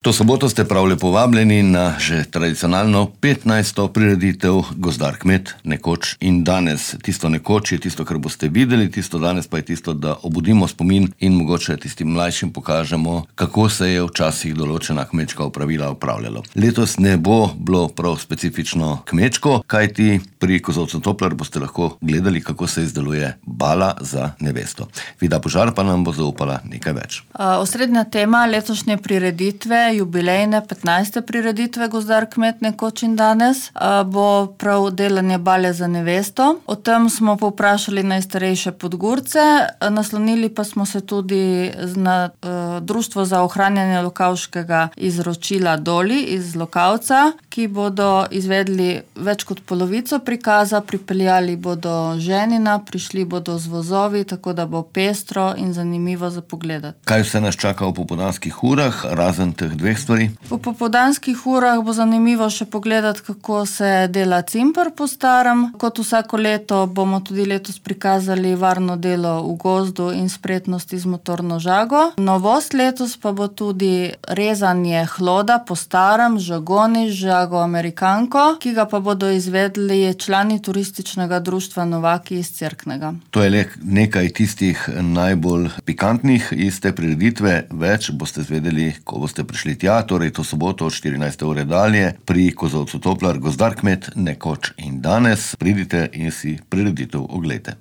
To soboto ste prav lepo vabljeni na že tradicionalno 15. prireditev Gozdar kmet, nekoč in danes. Tisto nekoč je tisto, kar boste videli, tisto danes pa je tisto, da obudimo spomin in mogoče tistim mlajšim pokažemo, kako se je včasih določena kmečka opravila opravljalo. Letos ne bo bilo prav specifično kmečko, kajti pri kozolcu Toplar boste lahko gledali, kako se izdeluje bala za nevesto. Vida Požar pa nam bo zaupala nekaj več. Osrednja tema letošnje prireditve, jubilejne 15. prireditve Gozdar kmet, nekoč in danes, bo prav delanje bale za nevesto. O tem smo povprašali najstarejše Podgorce, naslonili pa smo se tudi na Društvo za ohranjanje lokavškega izročila Doli iz Lokavca, ki bodo izvedli več kot polovico prikaza, pripeljali bodo ženina, prišli bodo z vozovi, tako da bo pestro in zanimivo za pogledati. Kaj vse nas čaka v popoldanskih urah, razen teh dveh stvari? V popoldanskih urah bo zanimivo še pogledati, kako se dela cimpr po starem. Kot vsako leto bomo tudi letos prikazali varno delo v gozdu in spretnosti z motorno žago. Novost letos pa bo tudi rezanje hloda po starem, žagoni, žago amerikanko, ki ga pa bodo izvedli člani turističnega društva Novaki iz Cerknega. To je le nekaj tistih najbolj pikantnih iz te prireditve. Več boste zvedeli, ko boste prišli tja, torej to soboto od 14. ure dalje pri kozolcu Toplar, Gozdar kmet, nekoč in danes. Pridite in si prireditev oglejte.